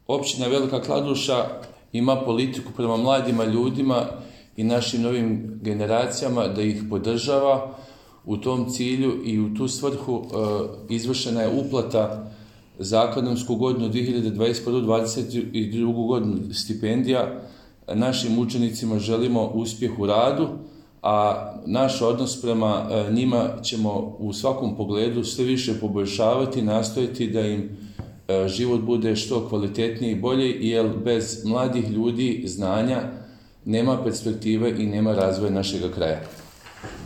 Općina Velika Kladuša ima politiku prema mladima ljudima i našim novim generacijama da ih podržava. U tom cilju i u tu svrhu izvršena je uplata za akademsku godinu 2021-2022 godinu stipendija. Našim učenicima želimo uspjeh u radu, a naš odnos prema njima ćemo u svakom pogledu sve više poboljšavati, nastojati da im život bude što kvalitetniji i bolji, jer bez mladih ljudi znanja nema perspektive i nema razvoja našeg kraja.